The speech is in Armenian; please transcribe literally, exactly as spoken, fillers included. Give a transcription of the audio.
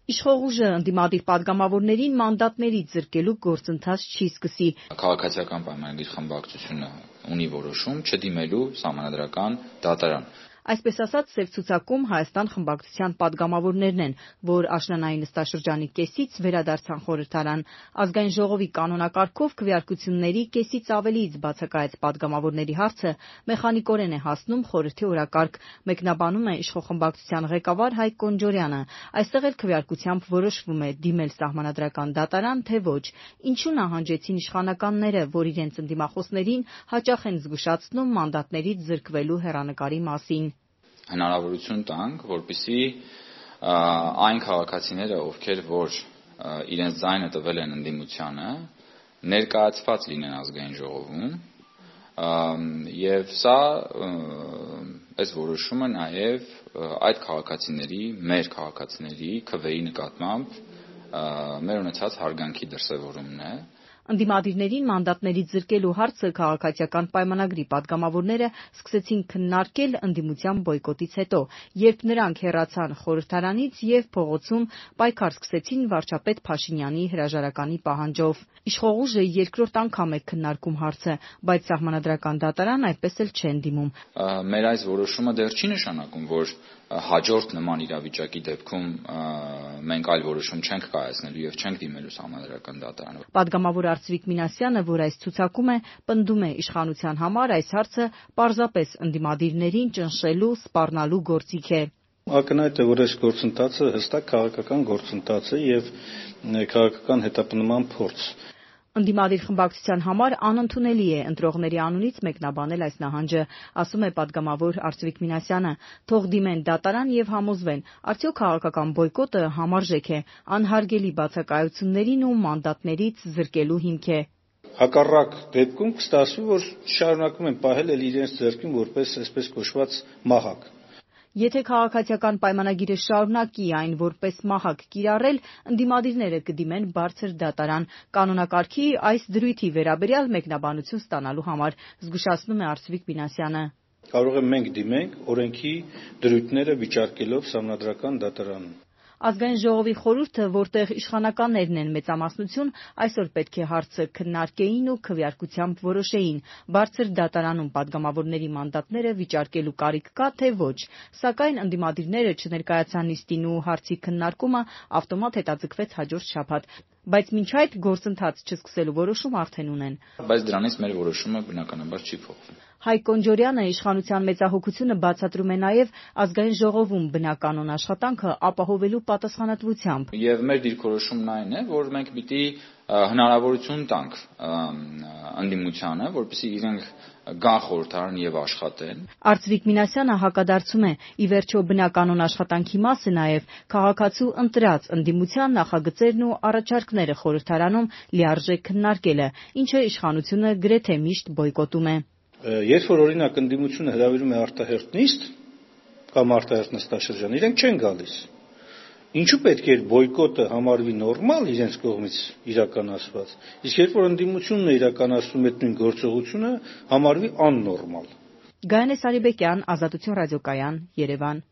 Իշխող ուժը ընդդիմադիր պատգամավորներին մանդատներից զրկելու գործընթաց չի սկսի։ Քաղաքացիական պայմանագիր խմբակցությունը ունի որոշում չդիմելու սահմանադրական դատարան։ Այսպես ասած, սև ցուցակում Հայաստան խմբակցության պատգամավորներն են, որ աշնանային նստաշրջանի կեսից վերադարձան խորհրդարան։ Ազգային ժողովի կանոնակարգով քվեարկությունների կեսից ավելիից բացակայած պատգամավորների հարցը մեխանիկորեն է հասնում խորհրդի օրակարգ, մեկնաբանում է իշխող խմբակցության ղեկավար Հայկ Կոնջորյանը։ Այստեղ էլ քվեարկությամբ որոշվում է դիմել սահմանադրական դատարան, թե ոչ։ Ինչու նահանջեցին իշխանականները, որ իրենց ընդդիմախոսներին հաճախ են զգուշացնում մանդատներից զրկվելու հեռանկարի մասին։ Հնարավորություն տանք, որպեսզի այն քաղաքացիները, ովքեր որ իրենց ձայնը տվել են ընդդիմությանը, ներկայացված լինեն ազգային ժողովում, եւ սա այս որոշումը նաեւ այդ քաղաքացիների, մեր քաղաքացիների քվեի նկատմամբ մեր ունեցած հարգանքի դրսևորումն է։ Ընդդիմադիրներին մանդատներից զրկելու հարցը քաղաքացիական պայմանագրի պատգամավորները սկսեցին քննարկել ընդդիմության բոյկոտից հետո, երբ նրանք հեռացան խորհրդարանից եւ փողոցում պայքար սկսեցին վարչապետ Փաշինյանի հրաժարականի պահանջով։ Իշխող ուժը երկրորդ անգամ է քննարկում հարցը, բայց սահմանադրական դատարան այդպես էլ չեն դիմում։ Մեր այս որոշումը դեռ չի նշանակում, որ հաջորդ նման իրավիճակի դեպքում մենք այլ որոշում չենք կայացնելու եւ չենք դիմելու սահմանադրական դատարան։ Պատգամավոր Արծվիկ Մինասյանը, որ այս ցուցակում է, պնդում է իշխանության համար այս հարցը պարզապես ընդդիմադիրներին ճնշելու, սպառնալու գործիք է։ Ակնհայտ է, որ այս գործընթացը հստակ քաղաքական գործընթաց է եւ քաղաքական հետապնդման փորձ։ Ընդդիմադիր խմբակցության համար անընդունելի է ընտրողների անունից մեկնաբանել այս նահանջը, ասում է պատգամավոր Արծվիկ Մինասյանը։ Թող դիմեն դատարան եւ համոզվեն, արդյոք քաղաքական բոյկոտը համարժեք է, անհարգելի բացակայություններին ու մանդատներից զրկելու հիմք է։ Հակառակ դեպքում կստացվի, որ շարունակում են պահել էլ իրենց ձեռքին որպես այսպես կոչված մահակ։ Եթե քաղաքացիական պայմանագիրը շարունակի այն որպես մահակ կիրառել, ընդդիմադիրները կդիմեն բարձր դատարան կանոնակարգի այս դրույթի վերաբերյալ մեկնաբանություն ստանալու համար, զգուշացնում է Արծվիկ Մինասյանը։ Կարող ենք մենք դիմենք օրենքի դրույթները վիճարկելով սահմանադրական դատարանում։ Ազգային ժողովի խորհուրդը, որտեղ իշխանականներն են մեծամասնություն, այսօր պետք է հարցը քննարկեին ու քվեարկությամբ որոշեին՝ բարձր դատարանում պատգամավորների մանդատները վիճարկելու կարիք կա, թե ոչ։ Սակայն ընդդիմադիրները չներկայացան նիստին ու հարցի քննարկումը ավտոմատ հետաձգվեց հաջորդ շաբաթ։ Բայց մինչ այդ գործընթաց չսկսելու որոշում արդեն ունեն։ Բայց դրանից մեր որոշումը բնականաբար չի փոխվում։ Հայկ Կոնջորյանը իշխանության մեծահոգությունը բացատրում է նաև ազգային ժողովում բնականոն աշխատանքը ապահովելու պատասխանատվությամբ։ Եվ մեր դիրքորոշումն այն է, որ մենք պիտի հնարավորություն տանք ընդդիմությանը, որպեսզի իրենք գան խորհրդարան եւ աշխատեն։ Արծվիկ Մինասյանը հակադարձում է՝ ի վերջո բնականոն աշխատանքի մասը նաև քաղաքացու ընտրած ընդդիմության նախագծերն ու առաջարկները խորհրդարանում լիարժեք քննարկելը, ինչը իշխանությունը գրեթե միշտ բոյկոտում է։ Երբ որ օրինակ ընդդիմությունը հրավիրում է արտահերթ նիստ կամ արտահերթ նստաշրջան, իրենք չեն գալիս։ Ինչու պետք է բոյկոտը համարվի նորմալ իրենց կողմից իրականացված, իսկ երբ որ ընդդիմությունն է իրականացնում այդ նույն գործողությունը, համարվի աննորմալ։ Գայանե Սարիբեկյան, Ազատություն ռադիոկայան, Երևան։